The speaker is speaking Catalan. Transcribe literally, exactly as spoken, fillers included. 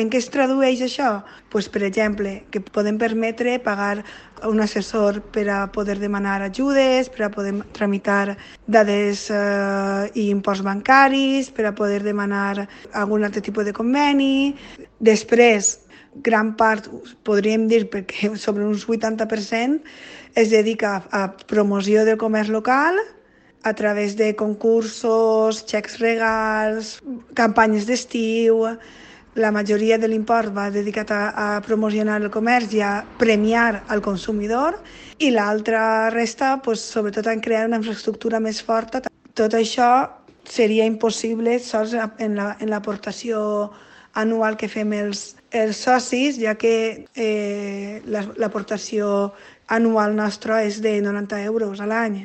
En què es tradueix això? Pues, per exemple, que podem permetre pagar un assessor per a poder demanar ajudes, per a poder tramitar dades eh, i imports bancaris, per a poder demanar algun altre tipus de conveni. Després, gran part, podríem dir, perquè sobre un vuitanta per cent, es dedica a, a promoció del comerç local, a través de concursos, xecs regals, campanyes d'estiu. La majoria de l'import va dedicat a, a promocionar el comerç i a premiar al consumidor, i l'altra resta, pues, sobretot en crear una infraestructura més forta. Tot això seria impossible sols en la, en l'aportació anual que fem els, els socis, ja que eh, l'aportació anual nostra és de noranta euros a l'any.